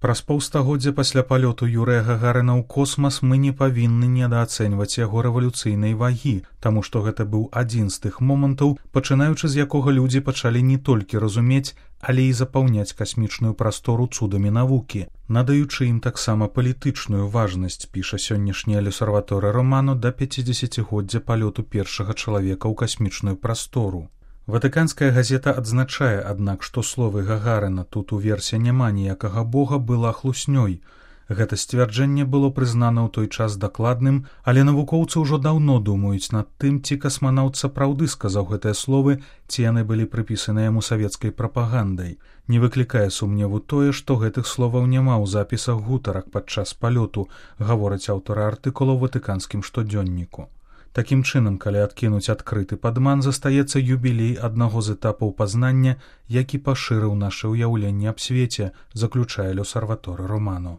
Праз паўстагоддзя пасля палёту Юрыя Гагарына ў космас мы не павінны недаацэньваць яго рэвалюцыйнай вагі, таму што гэта быў адзін з тых момантаў, пачынаючы з якога людзі пачалі не толькі разумець, але і запаўняць касмічную прастору цудамі навукі, надаючы ім таксама палітычную важнасць, піша сённяшняя L'Osservatore Romano да 50-годдзя палёту першага чалавека ў касмічную прастору. Ватыканская газета адзначае, аднак, што словы Гагарына «тут у версе няма ніякага бога» была хлуснёй. Гэта сцвярджэнне было прызнана ў той час дакладным, але навукоўцы ўжо даўно думаюць над тым, ці касманаўт сапраўды сказаў гэтыя словы, ці яны былі прыпісаны яму савецкай прапагандай. Не выклікае сумневу тое, што гэтых словаў няма ў запісах гутарак падчас палёту, гавораць аўтары артыкула ў ватыканскім штодзённіку. Такім чынам, калі адкінуць адкрыты падман, застаецца юбілей аднаго з этапаў пазнання, які пашырыў наша ўяўленне аб свеце, заключае L'Osservatore Romano.